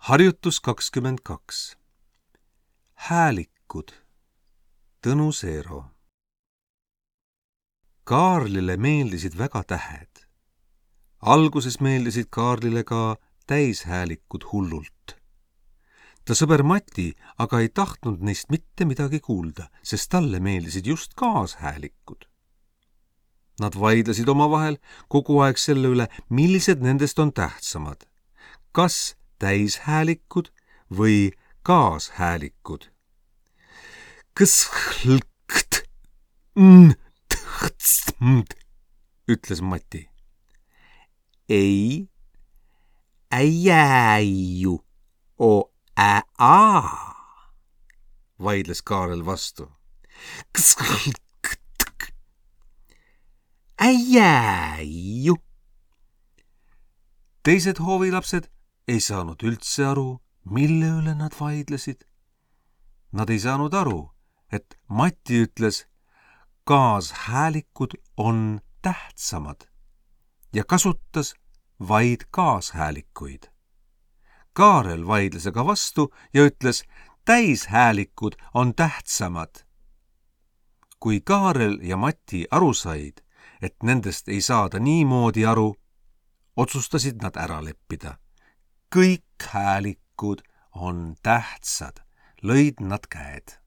Harjutus 22. Häälikud. Tõnu Seero. Kaarlile meeldisid väga tähed. Alguses meeldisid Kaarlile ka täishäälikud hullult. Ta sõber Mati aga ei tahtnud neist mitte midagi kuulda, sest talle meeldisid just kaashäälikud. Nad vaidlesid omavahel kogu aeg selle üle, millised nendest on tähtsamad. Kas täishäälikud või kaashäälikud? Kõshlkt, ütles Mati. Ei, äjääju, o ää, vaidles Kaarel vastu. Äjääju. Teised hoovilapsed ei saanud üldse aru, mille üle nad vaidlesid. Nad ei saanud aru, et Mati ütles, kaashäälikud on tähtsamad ja kasutas vaid kaashäälikuid. Kaarel vaidles aga vastu ja ütles, täishäälikud on tähtsamad. Kui Kaarel ja Mati aru said, et nendest ei saada niimoodi aru, otsustasid nad ära leppida. Kõik häälikud on tähtsad, lõid nad käed.